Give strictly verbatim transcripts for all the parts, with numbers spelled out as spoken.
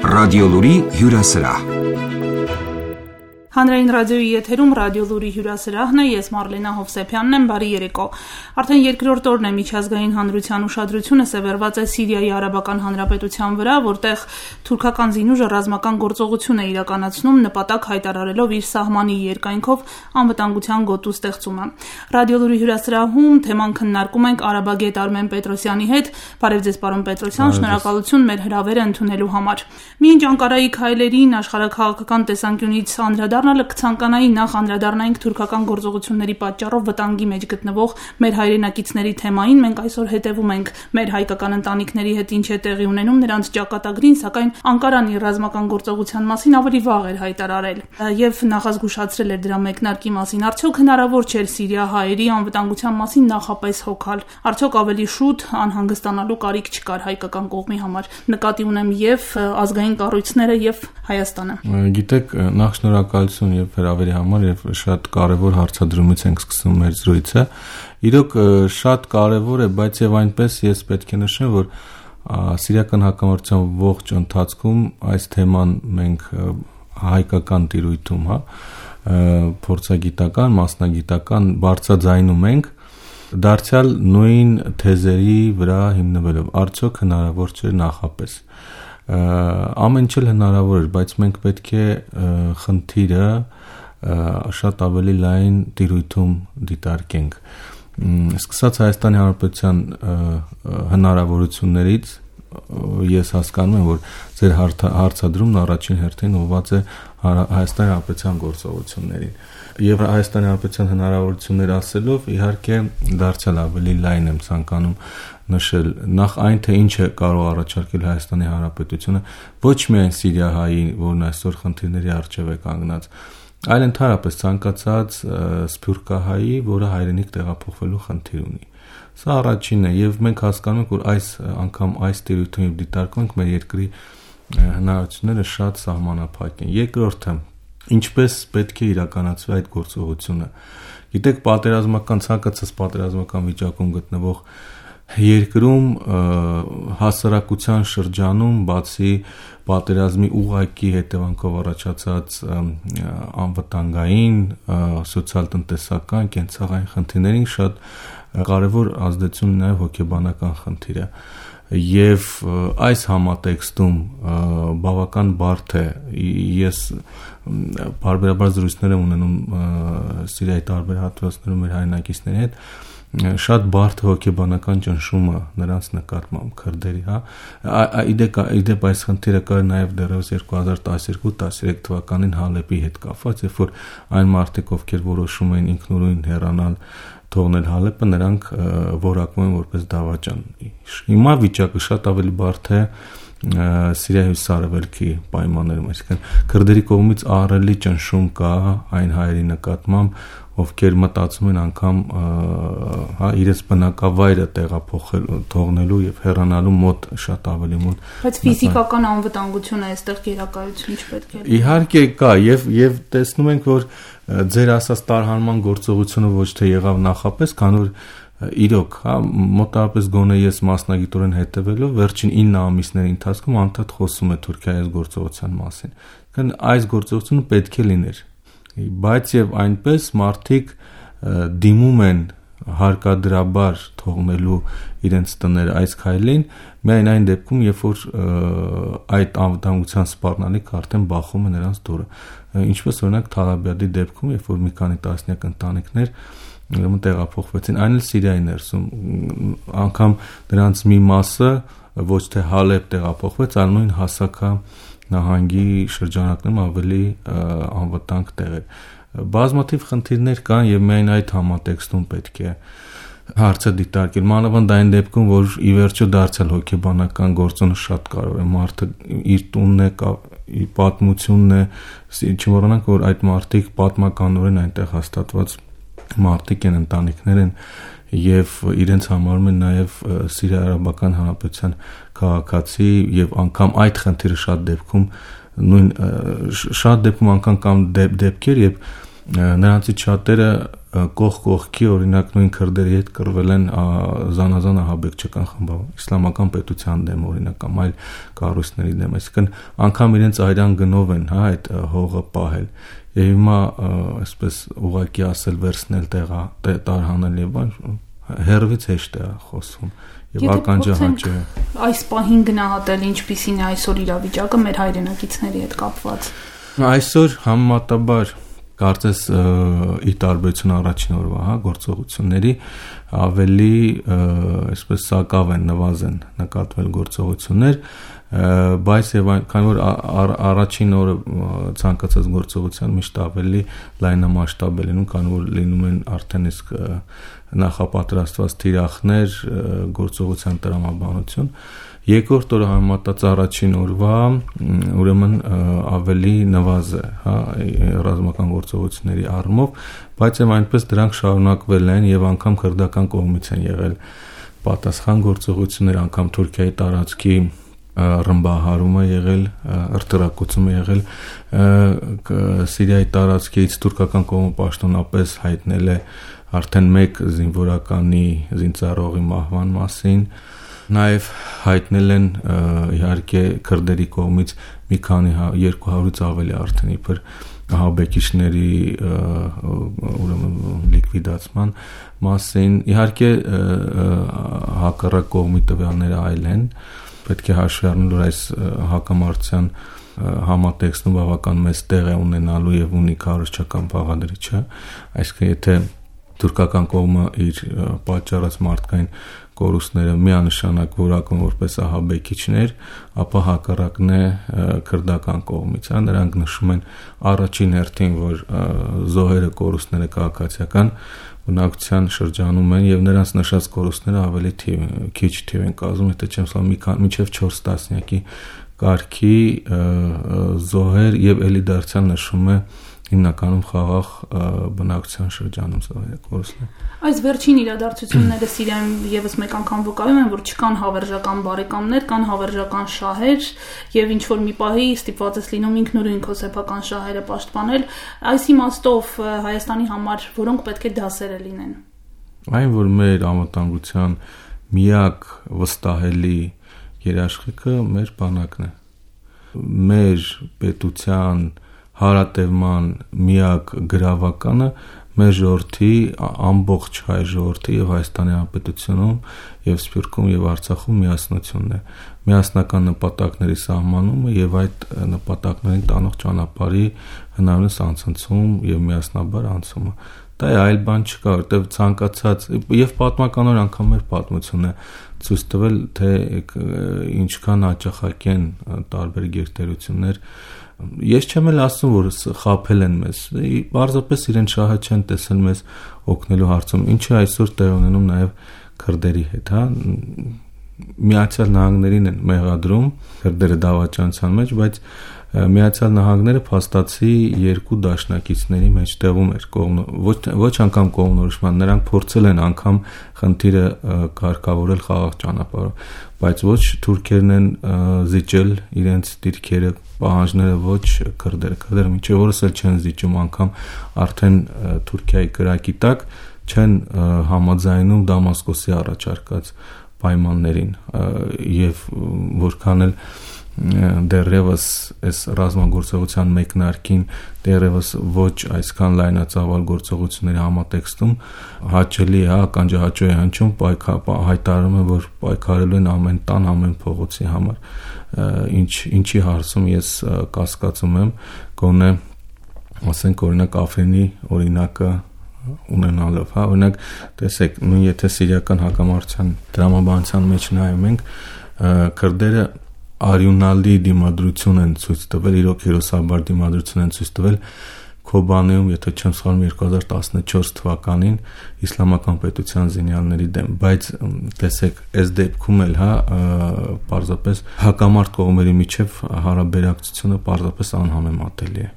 Ռադիոլուրի հյուրասրահ։ Հանրային ռադիոյի եթերում ռադիոլուրի հյուրասրահն է, ես Մարլենա Հովսեփյանն եմ, բարի երեկո։ Արդեն երկրորդ օրն է միջազգային հանրության ուշադրությունը սևեռված է Սիրիայի Արաբական Հանրապետության վրա, որտեղ թուրքական զինուժը ռազմական գործողություն է իրականացնում, նպատակ հայտարարելով իր սահմանի երկայնքով անվտանգության գոտու ստեղծումը։ Ռադիոլուրի հյուրասրահում թեման քննարկում ենք Արաբագետ Արմեն Պետրոսյանի հետ։ Բարև ձեզ, պարոն Պետրոսյան, շնորհակալություն մեր հրավերը ընդունելու համար։ Մինչ Անկարայի քայլերին աշխարհաքաղաքական տեսանկյունից անդրադառնալը կցանկանայի նախ անդրադառնայինք թուրքական գործողությունների պատճառով վտանգի մեջ գտնվող մեր հայրենակիցների թեմային։ Մենք այսօր հետևում ենք մեր հայկական ընտանիքների հետ ինչ է տեղի ունենում նրանց ճակատագրին, սակայն Անկարան իր ռազմական գործողության մասին ավելի վաղ էր հայտարարել եւ նախազգուշացրել էր դրա մեկնարկի մասին։ Արդյոք հնարավոր չէր սիրիահայերի անվտանգության մասին նախապես հոգալ։ Արդյոք ավելի շուտ անհանգստանալու կարիք չկար հայկական կողմի համար։ Նկատի ունեմ եւ ազգային կառույցները եւ Հայաստանը։ Գիտեք, նախ շնորհակալություն եւ հրավերի համար եւ շատ կարեւոր հարցադրումից ենք սկսում մեր զրույցը։ Իրոք շատ կարեւոր է, բայց եւ այնպես ես պետք է նշեմ, որ սիրիական հակամարտության ողջ ընթացքում այս թեման մենք հայկական տիրույթում, հա, փորձագիտական, մասնագիտական բարձրաձայնում ենք դարձյալ նույն թեզերի վրա հիմնվելով։ Արդյոք հնարավոր չէ նախապես։ Ամեն ինչ հնարավոր էր, բայց մենք պետք է խնդիրը շատ ավելի լայն տիրույթում դիտարկենք։ Սկսած Հայաստանի Հանրապետության հնարավորություններից ես հասկանում եմ, որ ձեր հարցադրումն առաջին հերթին ուղղված է Հայաստանի Հանրապետության գործողություններին։ Եվ Հայաստանի Հանրապետության հնարավորություններ ասելով, իհարկե դարձյալ ավելի լայն եմ ցանկանում նշել նախ այն, թե ինչ է կարող առաջարկել Հայաստանի Հանրապետությունը ոչ միայն Սիրիահայի, որն այսօր խնդիրների առջև է կանգնած, այլ ընդհանրապես ցանկացած սփյուռքահայի, որը հայրենիք տեղափոխվելու խնդիր ունի։ Սա առաջինն է, եւ մենք հասկանում ենք, որ այս անգամ այս տիրույթում դիտարկում ենք մեր երկրի հնարավորությունները շատ սահմանափակ են։ Երկրորդը, ինչպես պետք է իրականացվի այդ գործողությունը։ Գիտեք, պատերազմական ցանկացած պատերազմական վիճակում գտնվող երկրում հասարակության շրջանում բացի պատերազմի ուղղակի հետևանքով առաջացած անվտանգային, սոցիալ-տնտեսական, կենցաղային խնդիրներին շատ կարևոր ազդեցություն ունի նաև հոգեբանական խնդիրը։ Եվ այս համատեքստում բավական բարդ է, ես բարբերաբար զրույցներ եմ ունենում Սիրիայի տարբեր հատվածներում մեր հայրենակիցների հետ, շատ բարդ հոգեբանական ճնշումը նրանց նկատմամբ քրդերի, հա, իդեպ այս խնդիրը կար նաև դեռևս երկու հազար տասներկու տասներեք թվականին Հալեպի հետ կապված, երբ որ այն մարդիկ, ովքեր որոշում էին ինքնուրույն հեռանալ, թողնել Հալեպը, նրանք որակվում են որպես դավաճան։ Հիմա վիճակը շատ ավելի բարդ է Սիրիայի հյուսիսարևելքի պայմաններում, այսինքն քրդերի կողմից ահռելի ճնշում կա այն հայերի նկատմամբ, ովքեր մտածում են անգամ հա իրենց բնակավայրը տեղափոխել թողնելու եւ հեռանալու մոտ շատ ավելի մոտ։ Բայց ֆիզիկական անվտանգությունը այստեղ գերակայություն չպետք է։ Իհարկե կա եւ եւ տեսնում ենք, որ ձեր ասած տարհանման գործողությունը ոչ թե եղավ նախապես, քան որ իրոք, հա, մոտավորապես գոնե ես մասնագիտորեն հետևելով վերջին ինը ամիսների ընթացքում անդադ խոսում է Թուրքիայի գործողության մասին։ Քան այս գործողությունը պետք է լիներ։ Բայց եւ այնպես մարդիկ դիմում են հարկադրաբար թողնելու իրենց տները այս քայլին միայն այն դեպքում, երբ որ այդ անվտանգության սպառնալիքը արդեն բախում է նրանց դուրը։ Ինչպես օրինակ Թալաբյադի դեպքում, երբ որ մի քանի տասնյակ ընտանիքներ ուրեմն տեղափոխվեցին, այն էլ Սիրիայի ներսում, անգամ դրանց մի մասը ոչ թե Հալեպ տեղափոխվեց, այլ նույն Հասակա նահանգի շրջանակներում ավելի անվտանգ տեղեր։ Բազմաթիվ խնդիրներ կան եւ միայն այդ համատեքստում պետք է հարցը դիտարկել, մանավանդ այն դեպքում, որ ի վերջո դարձյալ հոգեբանական գործոնը շատ կարևոր է, մարդը իր տունն է, իր պատմությունն է, չմոռանանք, որ այդ մարդիկ պատմականորեն այնտեղ հաստատված մարդիկ են, ընտանիքներ են եւ իրենց համարում են նաեւ Սիրիա-Արաբական Հանրապետության քաղաքացի եւ անգամ այդ խնդիրը շատ դեպքում նույն շատ դեպքում անգամ կամ դեպքեր, երբ նրանցից շատերը կողք կողքի օրինակ նույն քրդերի հետ կռվել են զանազան ահաբեկչական խմբավորում իսլամական պետության դեմ օրինակ կամ այլ կառույցների դեմ, այսինքն անգամ իրենց այրան գնով են, հա, այդ հողը պահել եւ հիմա այսպես ուղղակի ասել վերցնել տեղա տարհանել եւ բան հերվից հեշտ է խոսում եւ ականջահաճ է այս պահին գնահատել ինչպիսին է այսօր իրավիճակը մեր հայրենակիցների հետ կապված այսօր համեմատաբար կարծես ի տարբերություն առաջին օրվա, հա, գործողությունների ավելի այսպես սակավ են նվազեն նկատվել գործողություններ, բայց եւ քանի որ առաջին օրը ցանկացած գործողության միշտ ավելի լայնամասշտաբ է լինում, քանի որ լինում են արդեն իսկ նախապատրաստված թիրախներ, գործողության տրամաբանություն Երկրորդ օրը համեմատած առաջին օրվա ուրեմն ավելի նվազ է, հա, ռազմական գործողությունների առումով, բայց եւ այնպես դրանք շարունակվել են եւ անգամ քրդական կողմից են եղել պատասխան գործողություններ, անգամ Թուրքիայի տարածքի ռմբահարումը եղել, ըրտրակոծումը եղել, Սիրիայի տարածքից թուրքական կողմը պաշտոնապես հայտնել է արդեն մեկ զինվորականի զինծառայողի մահվան մասին Նաև հայտնել են իհարկե քրդերի կողմից մի քանի երկու հարյուրից ավելի արդեն իբր ահաբեկիչների ուրեմն լիկվիդացման մասին իհարկե հակառակ կողմի տվյալները այլ են պետք է հաշվի առնել որ այս հակամարտության համատեքստում բավական մեծ տեղ է ունենալու եւ ունի քարոզչական բաղադրիչը այսինքն եթե թուրքական կողմը իր պատճառած մարդկային կորուստները միանշանակ որակում որպես ահաբեկիչներ, ապա հակառակն է քրդական կողմից, հա, նրանք նշում են առաջին հերթին, որ զոհերը կորուստները քաղաքացիական բնակության շրջանում են եւ նրանց նշած կորուստները ավելի թիվ, քիչ թիվ են կազմում, եթե չեմ սխալվում, մինչեւ չորս տասնյակի կարգի զոհեր եւ էլի դարձյալ նշում է հիմնականում խաղաղ բնակության շրջանում զոհերը կորուստներ։ Այս վերջին իրադարձությունները Սիրիայում եւս մեկ անգամ վկայում են, որ չկան հավերժական բարեկամներ, կան հավերժական շահեր եւ ինչ որ մի պահի ստիպված ես լինում ինքնուրույն քո սեփական շահերը պաշտպանել, այս իմաստով Հայաստանի համար որոնք պետք է դասերը լինեն։ Այն որ մեր անվտանգության միակ վստահելի երաշխիքը մեր բանակն է։ Մեր պետության հարատևման միակ գրավականը մեր ժողովրդի ամբողջ հայ ժողովրդի եւ Հայաստանի Հանրապետությունում եւ Սփյուռքում եւ Արցախում միասնությունն է միասնական նպատակների սահմանումը եւ այդ նպատակներին տանող ճանապարհի հնարավորինս անցնցում եւ միասնաբար անցումը դա այլ բան չկա որտեվ ցանկացած եւ պատմականորեն անգամ մեր պատմությունը ցույց տվել թե ինչքան հաճախակի են տարբեր գերտերություններ Ես չեմ էլ ասում, որ խաբել են մեզ, պարզապես իրեն շահը չեն տեսել մեզ օգնելու հարցում, ինչը այսօր տեղ ունենում նաև քրդերի հետ, հա, Միացյալ Նահանգներին են մեղադրում քրդերը դավաճանության մեջ, բայց Միացյալ Նահանգները փաստացի երկու դաշնակիցների մեջ տեղում էր ոչ ոչ անգամ կողմնորոշման, նրանք փորձել են անգամ խնդիրը կարգավորել խաղաղ ճանապարհով, բայց ոչ թուրքերն են զիջել իրենց դիրքերը պահանջները ոչ քրդերը, քրդերը մինչև օրս էլ չեն զիջում անգամ արդեն Թուրքիայի կրակի տակ չեն համաձայնում Դամասկոսի առաջարկած պայմաններին եւ որքան էլ դեռևս այս ռազմագործողության մեկնարկին դեռևս ոչ այսքան լայնածավալ գործողությունների համատեքստում հաճելի է ականջահաճո է հնչում հայտարարում են որ պայքարելու են ամեն տան ամեն փողոցի համար ինչ ինչի հարցում ես կասկածում եմ գոնե ասենք օրինակ Աֆրինի օրինակը ունենալով, հա, օրինակ տեսեք, նույն եթե սիրիական հակամարտության դրամաբանության մեջ նայում ենք, քրդերը արյունալի դիմադրություն են ցույց տվել, իրոք հերոսաբար դիմադրություն են ցույց տվել Քոբանեում, եթե չեմ սխալվում երկու հազար տասնչորս թվականին իսլամական պետության զինյալների դեմ, բայց տեսեք, այս դեպքում էլ, հա, պարզապես հակամարտ կողմերի միջև հարաբերակցությունը պարզապես անհամեմատելի է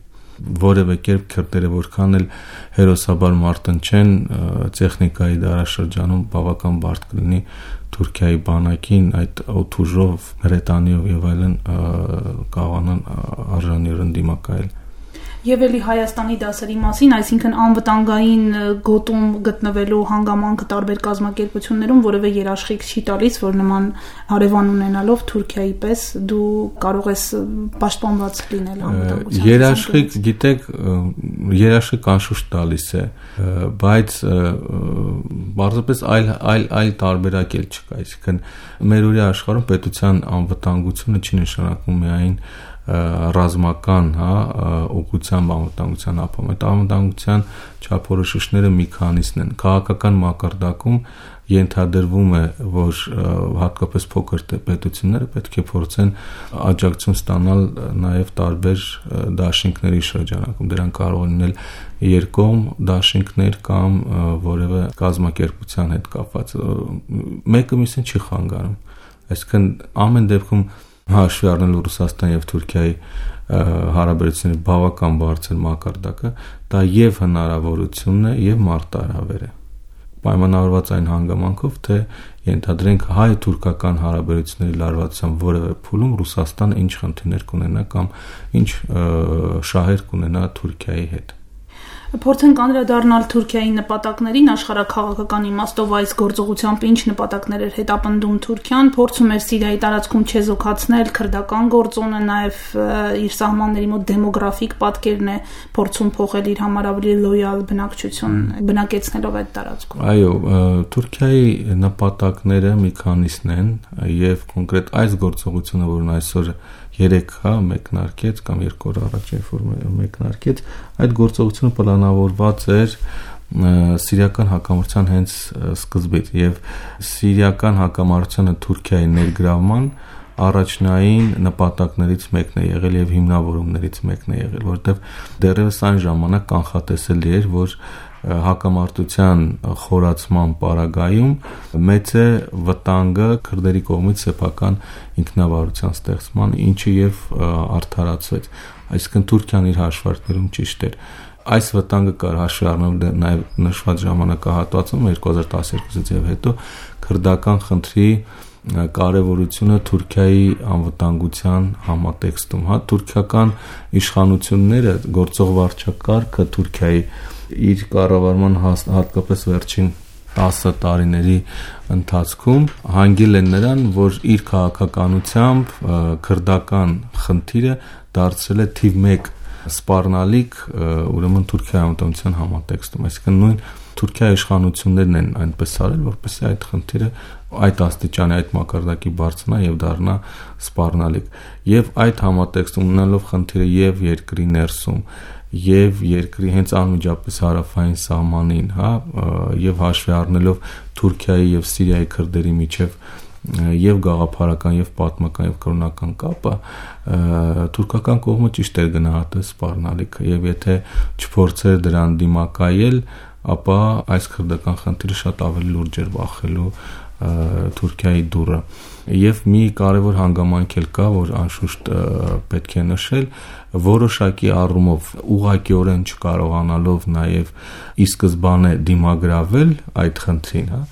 որևէ կերպ քրդերը որքան էլ հերոսաբար մարտնչեն տեխնիկայի դարաշրջանում բավական բարդ կլինի Թուրքիայի բանակին այդ օթուժով, հրետանիով եւ այլն կարողանան արժանիորեն դիմակայել Եվ էլի Հայաստանի դասերի մասին, այսինքն անվտանգային գոտում գտնվելու հանգամանքը տարբեր կազմակերպություններում որևէ երաշխիք չի տալիս, որ նման հարևան ունենալով Թուրքիայի պես դու կարող ես պաշտպանված լինել անվտանգության։ Երաշխիք, գիտեք, երաշխիք անշուշտ տալիս է, բայց բարձրապես այլ այլ այլ տարբերակ էլ չկա, այսինքն մեր օրի աշխարհում պետության անվտանգությունը չի նշանակում միայն ռազմական, հա, օգուտության անվտանգության ապահովում։ Այդ անվտանգության չափորոշիչները մի քանիսն են։ Քաղաքական մակարդակում ենթադրվում է, որ հատկապես փոքր պետությունները պետք է փորձեն աջակցություն ստանալ նաև տարբեր դաշինքների շրջանակում։ Դրանք կարող են լինել երկկողմ դաշինքներ կամ որևէ կազմակերպության հետ կապված։ Մեկը մյուսին չի խանգարում։ Այսինքն ամեն դեպքում հաշվի առնելով Ռուսաստանի եւ Թուրքիայի հարաբերությունների բավական բարձր մակարդակը, դա եւ հնարավորությունն է եւ մարտահրավեր է։ Պայմանավորված այն հանգամանքով, թե ենթադրենք հայ-թուրքական հարաբերությունների լարվածության որևէ փուլում Ռուսաստանը ինչ խնդիրներ կունենա կամ ինչ շահեր կունենա Թուրքիայի հետ։ Փորձենք անդրադառնալ Թուրքիայի նպատակներին աշխարհաքաղաքական իմաստով այս գործողությամբ ինչ նպատակներ էր հետապնդում Թուրքիան, փորձում էր Սիրիայի տարածքում չեզոքացնել քրդական գործոնը, նաև իր սահմանների մոտ դեմոգրաֆիկ պատկերն է փորձում փոխել իր համար ավելի լոյալ բնակչություն բնակեցնելով այդ տարածքում։ Այո, Թուրքիայի նպատակները մի քանիսն են եւ կոնկրետ այս գործողությունը, որն այսօր երեք հա մեկնարկեց կամ երկու օր առաջ որ մեկնարկեց, այդ գործողությունը պլանավորված էր սիրիական հակամարտության հենց սկզբից եւ սիրիական հակամարտությունը Թուրքիայի ներգրավման առաջնային նպատակներից մեկն է եղել եւ հիմնավորումներից մեկն է եղել, որովհետեւ դեռևս այն ժամանակ կանխատեսելի էր, որ հակամարտության խորացման պարագայում մեծ է վտանգը քրդերի կողմից սեփական ինքնավարության ստեղծման, ինչը եւ արդարացվեց։ Այսինքն Թուրքիան իր հաշվարկներում ճիշտ էր։ Այս վտանգը կար հաշվի առնելով նաեւ նշված ժամանակահատվածում երկու հազար տասներկուից եւ հետո քրդական խնդրի կարևորությունը Թուրքիայի անվտանգության համատեքստում, հա, թուրքական իշխանությունները գործող վարչակարգը Թուրքիայի իր կառավարման հատկապես վերջին տասը տարիների ընթացքում հանգել են նրան, որ իր քաղաքականությամբ քրդական խնդիրը դարձել է թիվ մեկ սպառնալիք, ուրեմն Թուրքիայի անվտանգության համատեքստում, այսինքն նույն Թուրքիայի իշխանություններն են այնպես արել, որպեսզի այդ խնդիրը այդ աստիճանի, այդ մակարդակի բարձրանա եւ դառնա սպառնալիք։ Եվ այդ համատեքստում ունենալով խնդիրը եւ երկրի ներսում եւ երկրի հենց անմիջապես հարավային սահմանին, հա, եւ հաշվի առնելով Թուրքիայի եւ Սիրիայի քրդերի միջև եւ գաղափարական եւ պատմական եւ կրոնական կապը, թուրքական կողմը ճիշտ էր գնահատել սպառնալիքը եւ եթե չփորձեր դրան դիմակայել, ապա այս քրդական խնդիրը շատ ավելի լուրջ էր բախելու Թուրքիայի դուռը։ Եվ մի կարևոր հանգամանք էլ կա, որ անշուշտ պետք է նշել, որոշակի առումով ուղղակիորեն չկարողանալով նաև ի սկզբանե դիմագրավել այդ խնդրին, հա,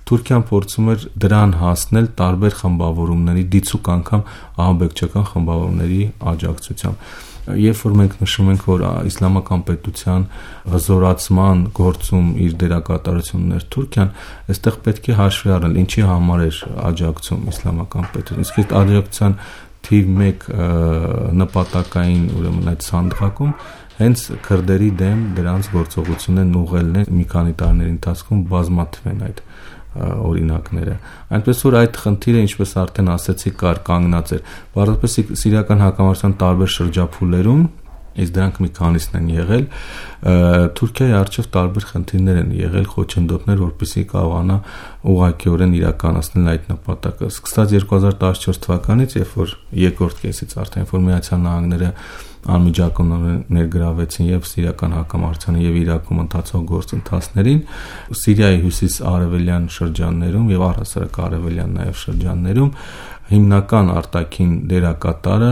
Թուրքիան փորձում էր դրան հասնել տարբեր խմբավորումների, դիցուկ անգամ ահաբեկչական խմբավորումների աջակցությամբ։ Երբ որ մենք նշում ենք, որ իսլամական պետության հզորացման գործում իր դերակատարությունն ուներ Թուրքիան, այստեղ պետք է հաշվի առնել ինչի համար էր աջակցում իսլամական պետություն։ Իսկ այդ աջակցության թիվ մեկ նպատակային, ուրեմն այդ սանդղակում հենց քրդերի դեմ դրանց գործողություններն ուղղելն է մի քանի տարիների ընթացքում բազմաթիվ են այդ օրինակները։ Այնպես որ այդ խնդիրը, ինչպես արդեն ասեցի, կար կանգնած էր։ Բարձրապես սիրիական հակամարտության տարբեր շրջափուլերում, իսկ դրանք մի քանիսն են եղել, Թուրքիայի առջև տարբեր խնդիրներ են եղել, խոչընդոտներ, որպեսզի կարողանա ուղղակիորեն իրականացնել այդ նպատակը։ Սկսած երկու հազար տասնչորս թվականից, երբ որ երկրորդ կեսից արդեն որ Միացյալ Նահանգները անմիջական ներգրավեցին եւ սիրիական հակամարտությանը եւ Իրաքում ընթացող գործընթացներին, Սիրիայի հյուսիս-արևելյան շրջաններում եւ առհասարակ արևելյան նաեւ շրջաններում հիմնական արտաքին դերակատարը,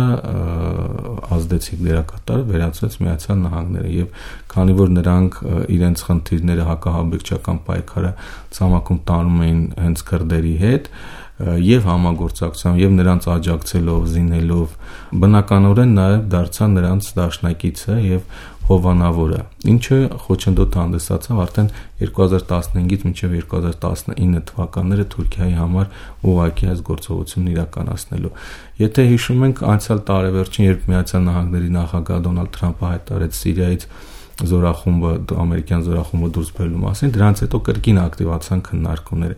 ազդեցիկ դերակատարը վերածվեց Միացյալ Նահանգները եւ քանի որ նրանք իրենց խնդիրները հակահաբեկչական պայքարը ցամաքում տանում էին հենց քրդերի հետ եւ համագործակցությամբ եւ նրանց աջակցելով, զինելով, բնականորեն նաեւ դարձան նրանց դաշնակիցը եւ հովանավորը, ինչը խոչընդոտ հանդիսացավ արդեն երկու հազար տասնհինգից մինչև երկու հազար տասնինը թվականները Թուրքիայի համար ուղղակի այս գործողությունն իրականացնելու։ Եթե հիշում ենք անցյալ տարեվերջին, երբ Միացյալ Նահանգների նախագահ Դոնալդ Թրամփը հայտարարեց Սիրիայից զորախումբը, ամերիկյան զորախումբը դուրս բերելու մասին, դրանից հետո կրկին ակտիվացան քննարկումները։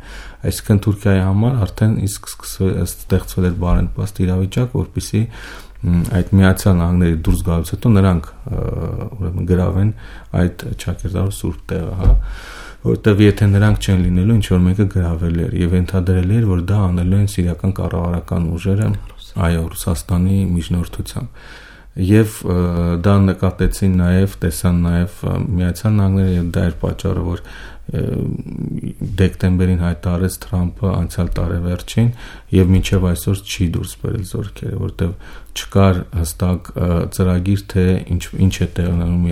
Այսինքն Թուրքիայի համար արդեն իսկ ստեղծվել էր բարենպաստ իրավիճակ, որպեսզի այդ Միացյալ Նահանգների դուրս գալուց հետո նրանք ուրեմն գրավեն այդ ճակերտավոր սուրբ տեղը, հա, որտեղ եթե նրանք չեն լինելու, ինչ որ մեկը գրավելի էր եւ ենթադրելի էր, որ դա անելու են սիրիական կառավարական ուժերը, այո, Ռուսաստանի միջնորդությամբ։ Եվ դա նկատեցին նաև, տեսան նաև Միացյալ Նահանգները եւ դա էր պատճառը, որ դեկտեմբերին հայտարարեց Թրամփը անցյալ տարեվերջին եւ մինչեւ այսօր չի դուրս բերել զորքերը, որտեղ չկար հստակ ծրագիր, թե ինչ ինչ է տեղի ունենում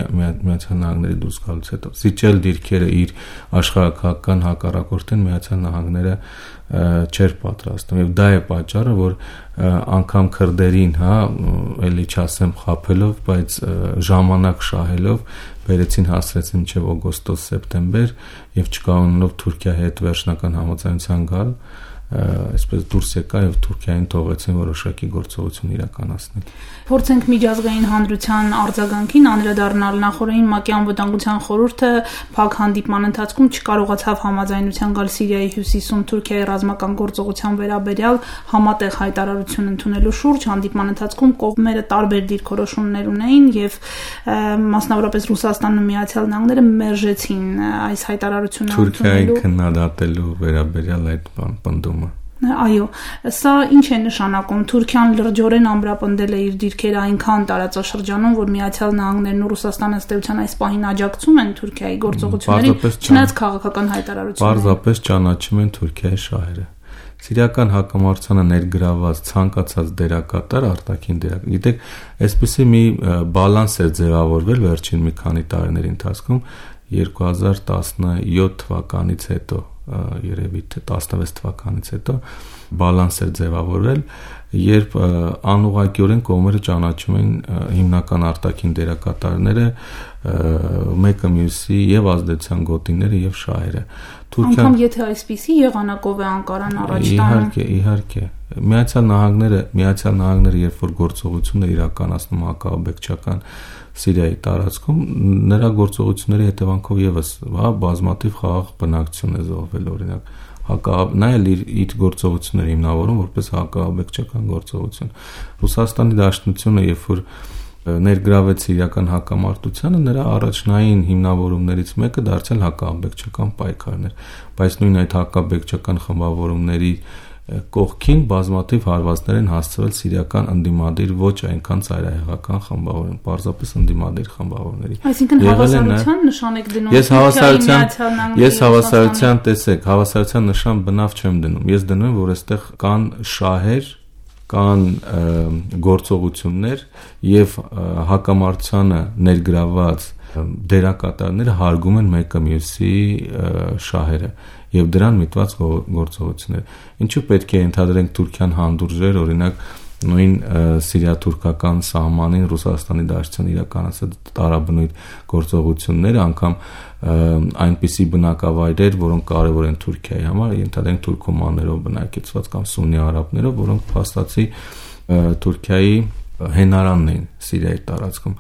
Միացյալ Նահանգների դուրս գալուց հետո։ Սիչել դիրքերը իր աշխարհակական հակառակորդին Միացյալ Նահանգները չէր պատրաստում եւ դա է պատճառը, որ անգամ քրդերին, հա, էլի չասեմ խափելով, բայց ժամանակ շահելով բերեցին, հասցրեցին մինչև օգոստոս-սեպտեմբեր եւ չկարողանալով Թուրքիայի հետ վերջնական համաձայնության գալ, այսպես դուրս եկա եւ Թուրքիային թողեցին որոշակի գործողություն իրականացնել։ Փորձենք միջազգային հանրության արձագանքին անդրադառնալ։ Նախորդին ՄԱԿ-ի անվտանգության խորհուրդը փակ հանդիպման ընթացքում չկարողացավ համաձայնության գալ Սիրիայի հյուսիսում Թուրքիայի ռազմական գործողության վերաբերյալ համատեղ հայտարարություն ընդունելու շուրջ։ Հանդիպման ընթացքում կողմերը տարբեր դիրքորոշումներ ունեին եւ մասնավորապես Ռուսաստանն ու Միացյալ Նահանգները մերժեցին այս հայտարարությունը Թուրքիայի քննադատելու վերաբերյալ այդ պնդումը։ Այո, սա ինչ է նշանակում։ Թուրքիան լրջորեն ամրապնդել է իր դիրքերը այնքան տարածաշրջանում, որ Միացյալ Նահանգներն ու Ռուսաստանը ըստ էության այս պահին աջակցում են Թուրքիայի գործողություններին, չնայած քաղաքական հայտարարություններին։ Պարզապես ճանաչում են Թուրքիայի շահերը։ Սիրիական հակամարտությանը ներգրաված ցանկացած դերակատար արտաքին դերակատար։ Գիտեք, այսպեսի մի բալանս է ձևավորվել վերջին մի քանի տարիների ընթացքում երկու հազար տասնյոթ թվականից հետո, երևի թե տասնվեց թվականից հետո բալանս է ձևավորվել, երբ անուղղակիորեն կողմերը ճանաչում են հիմնական արտաքին դերակատարները, մեկը մյուսի եւ ազդեցության գոտիները եւ շահերը։ Անկամ եթե այսպիսի եղանակով է Անկարան առաջ տանում։ Իհարկե, իհարկե։ Միացյալ Նահանգները, Միացյալ Նահանգները երբ որ գործողություններ իրականացնում հակաաբեկչական Սիրիայի տարածքում, նրա գործողությունների հետևանքով եւս, հա, բազմաթիվ խաղաղ բնակչություն է զոհվել, օրինակ, հակա նա էլ իր, իր գործողությունները հիմնավորում որպես հակաաբեկչական գործողություն։ Ռուսաստանի Դաշնությունը, երբ որ ներգրավեց սիրիական հակամարտությանը, նրա առաջնային հիմնավորումներից մեկը դարձել հակաաբեկչական պայքարներ, բայց նույն այդ հակաաբեկչական խմբավորումների կողքին բազմաթիվ հարվածներ են հասցվել սիրիական ընդդիմադիր ոչ այնքան ծայրահեղական խմբավորում, պարզապես ընդդիմադիր խմբավորների։ Այսինքն հավասարության նշան եք դնում։ Ես հավասարության, ես հավասարության տեսեք, հավասարության նշան բնավ չեմ դնում։ Ես դնում եմ, որ այստեղ կան շահեր, կան գործողություններ եւ հակամարտությանը ներգրաված դերակատարները հարգում են մեկը մյուսի շահերը եւ դրան միտված գործողություններ։ Ինչու պետք է ընդհանրենք Թուրքիան հանդուրժեր, օրինակ նույն սիրիա-թուրքական սահմանին Ռուսաստանի Դաշնության իրականացած տարաբնույթ գործողությունները, անգամ այնպիսի բնակավայրեր, որոնք կարևոր են Թուրքիայի համար, ընդհանրենք թուրքոմաններով բնակեցված կամ սուննի արաբներով, որոնք փաստացի Թուրքիայի հենարանն են Սիրիայի տարածքում։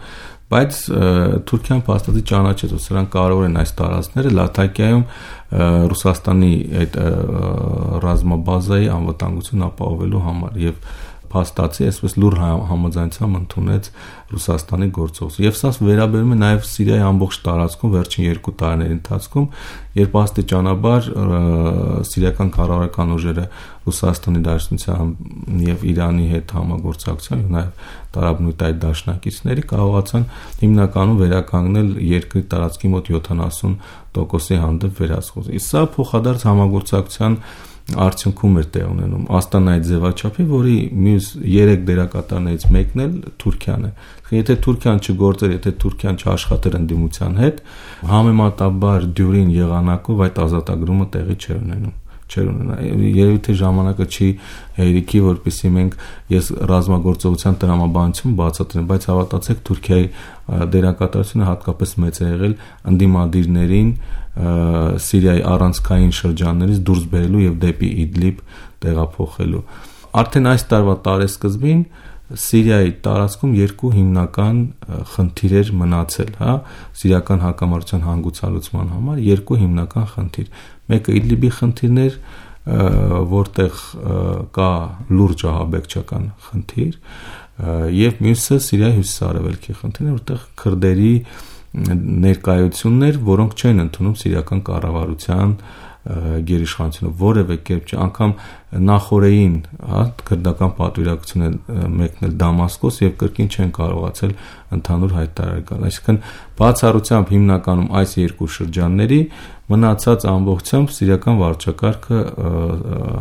Բայց Թուրքիան փաստացի ճանաչեց, որ սրանք կարող են այս տարածքները Լաթակիայում Ռուսաստանի այդ ռազմաբազայի անվտանգություն ապահովելու համար եւ փաստացի այսպես լուր համաձայնությամբ ընդունեց Ռուսաստանի գործողություն։ Եվ սա վերաբերում է նաև Սիրիայի ամբողջ տարածքում վերջին երկու տարիների ընթացքում, երբ աստիճանաբար սիրիական կառավարական ուժերը Ռուսաստանի Դաշնության եւ Իրանի հետ համագործակցությամբ եւ նաև տարաբնույթ այդ դաշնակիցների կարողացան հիմնականում վերականգնել երկրի տարածքի մոտ յոթանասուն տոկոսի հանդեպ վերահսկողություն։ Իսկ սա փոխադարձ համագործակցության արդյունքում էր տեղ ունենում Աստանայի ձևաչափի, որի մյուս երեք դերակատարներից մեկն էլ Թուրքիան է։ Եթե Թուրքիան չգործեր, եթե Թուրքիան չաշխատեր ընդդիմության հետ, համեմատաբար դյուրին եղանակով այդ ազատագրումը տեղի չէր ունենում։ չեր ունենա։ Երևի թե ժամանակը չի հերիքի, որպեսզի մենք ես ռազմագործողության տրամաբանություն բացատրեմ, բայց հավատացեք, Թուրքիայի դերակատարությունը հատկապես մեծ է եղել ընդդիմադիրներին Սիրիայի առանցքային շրջաններից դուրս բերելու եւ դեպի Իդլիբ տեղափոխելու։ Արդեն այս տարվա տարեսկզբին Սիրիայի տարածքում երկու հիմնական խնդիր էր մնացել, հա, սիրիական հակամարտության հանգուցալուծման համար երկու հիմնական խնդիր։ Մեկը Իդլիբի խնդիրն էր, որտեղ կա լուրջ ահաբեկչական խնդիր, եւ մյուսը Սիրիայի հյուսիսարևելքի խնդիրն է, որտեղ քրդերի ներկայություններ, որոնք չեն ընդունում սիրիական կառավարության գերիշխանությունը որևէ կերպ չէ, անգամ նախորդին, հա, քրդական պատվիրակությունը մեկնել Դամասկոս եւ կրկին չեն կարողացել ընդհանուր հայտարար գալ։ Այսինքն բացառությամբ հիմնականում այս երկու շրջանների մնացած ամբողջությամբ սիրիական վարչակարգը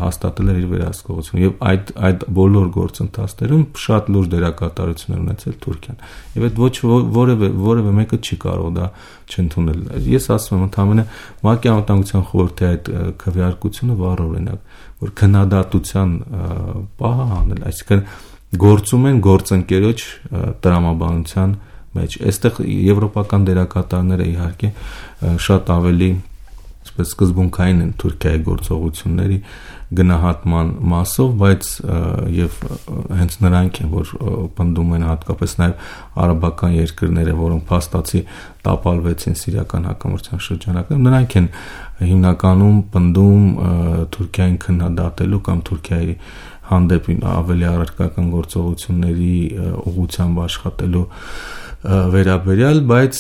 հաստատել էր իր վերահսկողությունը եւ այդ այդ բոլոր գործընթացներում շատ լուրջ դերակատարություն է ունեցել Թուրքիան։ Եվ այդ ոչ որևէ որևէ մեկը չի կարող դա չընդունել։ Ես ասում եմ, ընդհանրապես ՄԱԿ-ի անվտանգության խորհրդի այդ քվեարկությունը վառ օրինակ, որ քննադատության պահը հանել, այսինքն գործում են գործընկերոջ տրամաբանության մեջ։ Այստեղ եվրոպական դերակատարները իհարկե շատ ավելի այսպես սկզբունքային են Թուրքիայի գործողությունների գնահատման մասով, բայց եւ հենց նրանք են, որ պնդում են հատկապես նաեւ արաբական երկրները, որոնք փաստացի տապալվեցին սիրիական հակամարտության շրջանակներում, նրանք են հիմնականում պնդում Թուրքիային քննադատելու կամ Թուրքիայի հանդեպ ավելի առարկական գործողությունների ուղղությամբ աշխատելու վերաբերյալ, բայց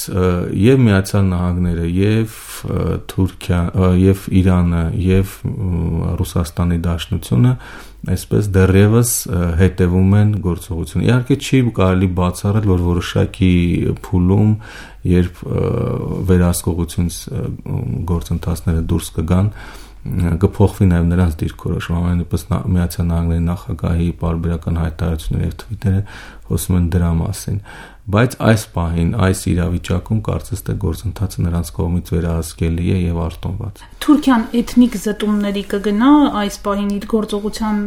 եւ Միացյալ Նահանգները եւ Թուրքիան եւ Իրանը եւ Ռուսաստանի Դաշնությունը այսպես դեռևս հետևում են գործողություն։ Իհարկե չի կարելի բացառել, որ որոշակի փուլում, երբ վերահսկողություն գործընթացները դուրս կգան, կփոխվի նաև նրանց դիրքորոշումը, ամենայնիվս Միացյալ Նահանգների նախագահի պարբերական հայտարարությունները եւ թվիթերը խոսում են դրա մասին, բայց այս պահին, այս իրավիճակում կարծես թե գործընթացը նրանց կողմից վերահսկելի է եւ արտոնված։ Թուրքիան էթնիկ զտումների կգնա այս պահին իր գործողության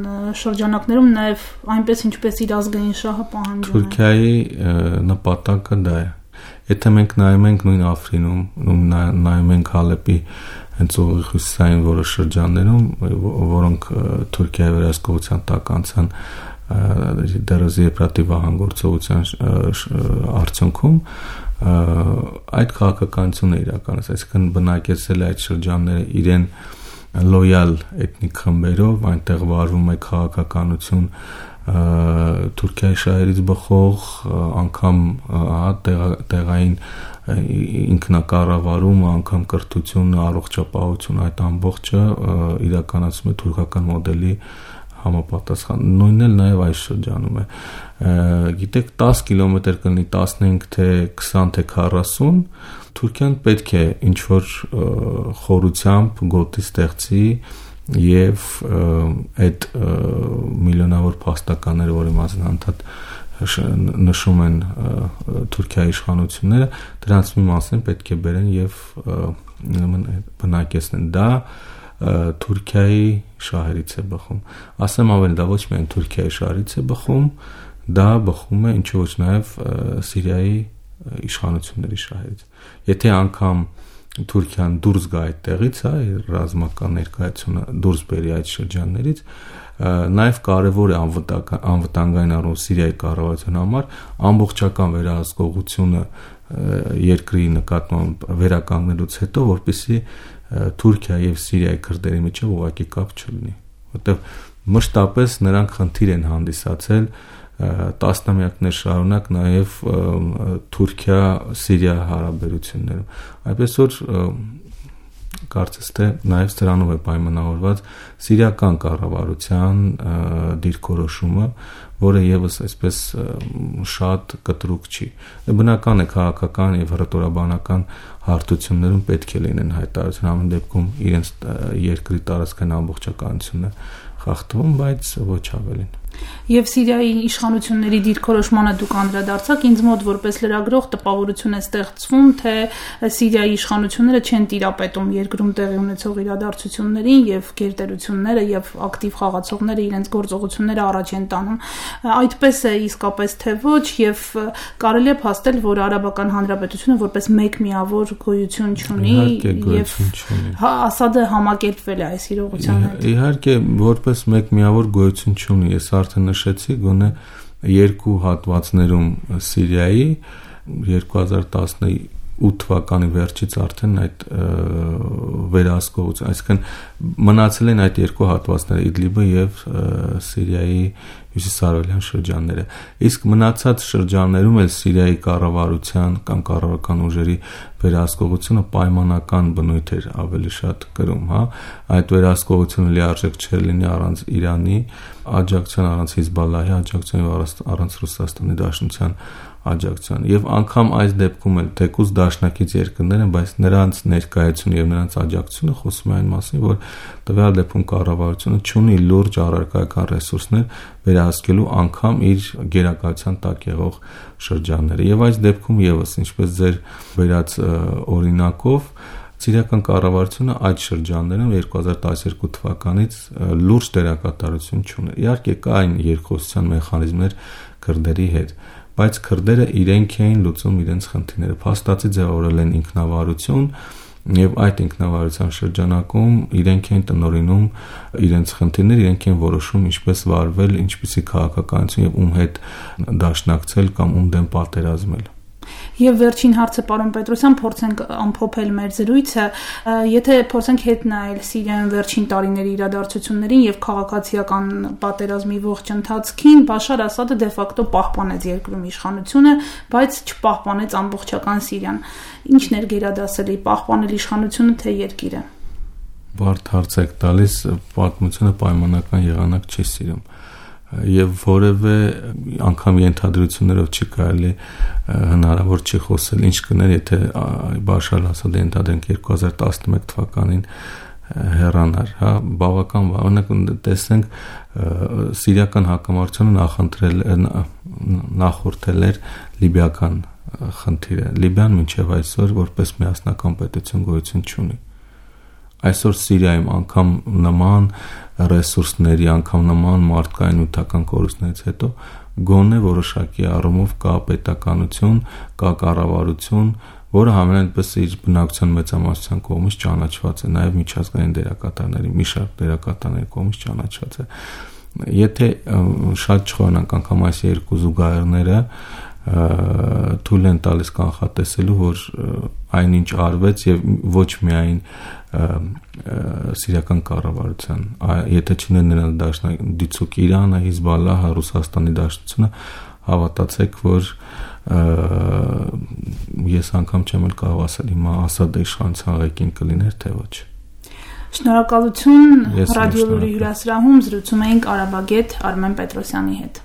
շրջանակներում նաև այնպես ինչպես իր ազգային շահը պահանջում է։ Թուրքիայի նպատակը դա է։ Եթե մենք նայում ենք նույն Աֆրինում, նայում ենք Հալեպի հենց ուղիղ հյուսիսային որոշ շրջաններում, որոնք Թուրքիայի վերահսկողության տակ անցան դերոզի եփրատի վահան գործողության արդյունքում, այդ քաղաքականությունն է իրականացել, այսինքն բնակեցել է այդ շրջանները իրեն լոյալ էթնիկ խմբերով, այնտեղ վարվում է քաղաքականություն Թուրքիայի շահերից բխող, անգամ տեղային ինքնակառավարումը, անգամ կրթությունը, առողջապահությունը, այդ ամբողջը իրականացում է թուրքական մոդելի համապատասխան։ Նույնն էլ նաև այս շրջանում է։ Գիտեք, դես կիլոմետր կլինի, տասնհինգ թե քսան թե քառասուն, Թուրքիան պետք է ինչ-որ խորությամբ գոտի ստեղծի եւ այդ միլիոնավոր փաստականները, որի մասին անդադ նշում են Թուրքիայի իշխանությունները, դրանց մի մասն պետք է բերեն եւ բնակեցնեն։ Դա Թուրքիայի շահերից է բխում։ Ասեմ ավելի, դա ոչ միայն Թուրքիայի շահերից է բխում, դա բխում է ինչ ոչ նաեւ Սիրիայի իշխանությունների շահերից։ Եթե անգամ Թուրքիան դուրս գա այդտեղից, հա, ռազմական ներկայությունը դուրս բերի այդ շրջաններից, նաև կարևոր է անվտանգային առումով Սիրիայի կառավարության համար ամբողջական վերահսկողությունը երկրի նկատմամբ վերականգնելուց հետո, որպեսզի Թուրքիա եւ Սիրիայի քրդերի միջեւ ուղղակի կապ չլինի, որտեղ մշտապես նրանք խնդիր են հանդիսացել տասնամյակներ շարունակ նաև Թուրքիա-Սիրիա հարաբերություններում։ Այնպես որ կարծես թե նաև սրանով է պայմանավորված սիրիական կառավարության դիրքորոշումը, որը եւս այսպես շատ կտրուկ չի։ Բնական է քաղաքական եւ հռետորաբանական հարթություններում պետք է լինեն հայտարարություն, ամեն դեպքում իրենց երկրի տարածքային ամբողջականությունը խախտվում, բայց ոչ ավելին։ Եվ Սիրիայի իշխանությունների դիրքորոշմանը դուք անդրադարձաք, ինձ մոտ որպես լրագրող տպավորություն է ստեղծվում, թե Սիրիայի իշխանությունները չեն տիրապետում երկրում տեղի ունեցող իրադարձություններին եւ գերտերությունները եւ ակտիվ խաղացողները իրենց գործողությունները առաջ են տանում։ Այդպես է իսկապես թե ոչ, եւ կարելի է փաստել, որ Արաբական Հանրապետությունը որպես մեկ միավոր գոյություն չունի եւ Ասադը համակերպվել է այս իրողության հետ։ Իհարկե, որպես մեկ միավոր գոյություն չունի, ես արդեն նշեցի, գոնե երկու հատվածներում Սիրիայի երկու հազար տասնութ թվականի վերջից արդեն այդ վերահսկողություն, այսինքն մնացել են այդ երկու հատվածները Իդլիբը եւ Սիրիայի հյուսիսարևելյան շրջանները։ Իսկ մնացած շրջաններում էլ Սիրիայի կառավարության կամ կառավարական ուժերի վերահսկողությունը պայմանական բնույթ էր ավելի շատ կրում, հա, այդ վերահսկողությունը լիարժեք չէր լինի առանց Իրանի աջակցության, առանց Հիզբալլահի աջակցության եւ առանց Ռուսաստանի Դաշնության աջակցության։ Եվ անգամ այս դեպքում էլ թեկուզ դաշնակից երկրներ են, բայց նրանց ներկայությունը եւ նրանց աջակցությունը խոսում է այն մասին, որ տվյալ դեպքում կառավարությունը չունի լուրջ առարկայական ռեսուրսներ վերահսկելու անգամ իր գերակայության տակ եղող շրջանները։ Եվ այս դեպքում եւս, ինչպես ձեր վերած օրինակով, Սիրիական կառավարությունը այդ շրջաններում երկու հազար տասնյոթ թվականից լուրջ դերակատարություն չունի։ Իհարկե կային երկխոսության մեխանիզմներ քրդերի հետ, բայց քրդերը իրենք էին լուծում իրենց խնդիրները, փաստացի ձևավորել են ինքնավարություն եւ այդ ինքնավարության շրջանակում իրենք են տնօրինում իրենց խնդիրները, իրենք են որոշում ինչպես վարվել, ինչպիսի քաղաքականություն եւ ում հետ դաշնակցել կամ ում դեմ պատերազմել։ Եվ վերջին հարցը, պարոն Պետրոսյան, փորձենք ամփոփել մեր զրույցը, եթե փորձենք հետ նայել Սիրիայում վերջին տարիների իրադարձություններին եւ քաղաքացիական պատերազմի ողջ ընթացքին, Բաշար Ասադը դե ֆակտո պահպանեց երկրում իշխանությունը, բայց չպահպանեց ամբողջական Սիրիան։ Ինչն էր գերադասելի, պահպանել իշխանությունը թե երկիրը։ Բարդ հարց եք տալիս, պատմությունը պայմանական եղանակ չի սիրում։ Եվ որևէ անգամ ենթադրություններով չի կարելի հնարավոր չի խոսել ինչ կներ, եթե Բաշար Ասադը ենթադրենք երկու հազար տասնմեկ թվականին հեռանար, հա, բավական օրինակ տեսնենք սիրիական հակամարտությունը նախընտրել նախորդել էր լիբիական խնդիրը։ Լիբիան մինչև այսօր որպես միասնական պետություն գոյություն չունի։ Այսօր Սիրիայում անգամ նման ռեսուրսների, անգամ նման մարդկային նյութական կորուստներից հետո գոնե որոշակի առումով կա պետականություն, կա կառավարություն, որը համենայնպես իր բնակության մեծամասնության կողմից ճանաչված է, նաև միջազգային դերակատարների, մի շարք դերակատարների կողմից ճանաչված է։ Եթե շատ չխորանանք անգամ այս երկու զուգահեռները թույլ են տալիս կանխատեսելու, որ այնինչ արվեց եւ ոչ միայն սիրիական կառավարության, եթե չներ նրանց դաշնակցություն Իրանը, Հիզբալլահը, Ռուսաստանի Դաշնությունը, հավատացեք, որ ես անգամ չեմ էլ կարող ասել հիմա Ասադի իշխանության ղեկին կլիներ թե ոչ։ Շնորհակալություն, Ռադիո Լուրի հյուրասրահում զրուցում էինք արաբագետ Արմեն Պետրոսյանի հետ։